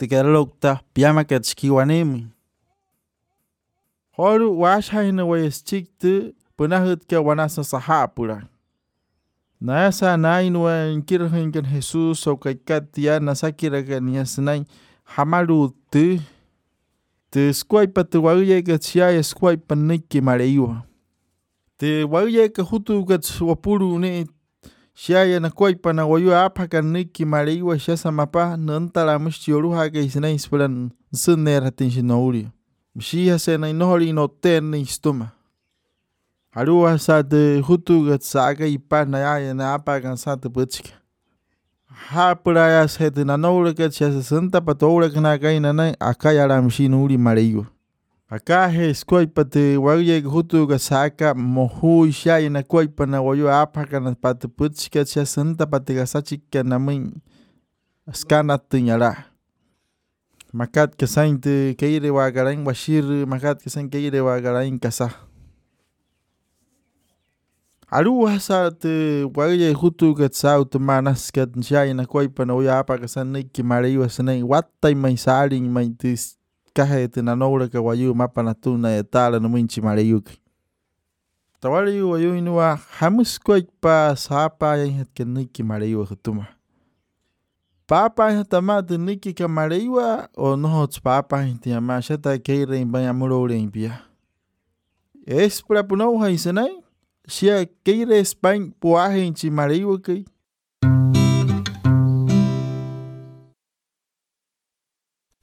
te keralokta piama ketskiwanimi. Horu washaina wayestikte punahut ke wanasa sahapura. Nasa nainwa inkirhinkan Jesus o kaikkatia nasakira kaniasnai hamaru te squaipa te waye ke sia squaipa niki mareiwa. Te waye ke hutu ke wapuru ni sia na quaipa na wayu apa ka niki mareiwa sia samapa nantala mustioruha ke isnai spulan sunera tinshinauri. Mshia se na inori no ten istuma. Arua sa te hutu ke saga ipa na ya na apa kan sa te putsika. Ha puraya se te nanora ke sia santa patora kana kaina na akaya la mshinuri mareiwa. Aka he squaipa te waye ke hutu ke saga mohu sia na quaipa na wayu apa kan pat putsika sia santa patiga sachika na min skana tinyara. Makat ke sainte keire wa garain washir makat ke sain keire wa garain kasa. Arua sa te waye hutu ke sa utmanas ke sia na quaipa na wayu apa ke saniki mareiwa sanai watai mai saling mai tis kahe te nanora ke wayu mapa na tuna etala no minchi mareiuki. Tawali wayu inua hamus quaipa sapa yang ke niki mareiwa hutuma. Papa hatama te niki ka mareiwa o nohots papa te ama shata keire imbaya murore impia. Es pra punou haisenai sia keire spain puahe inchi mareiwa ki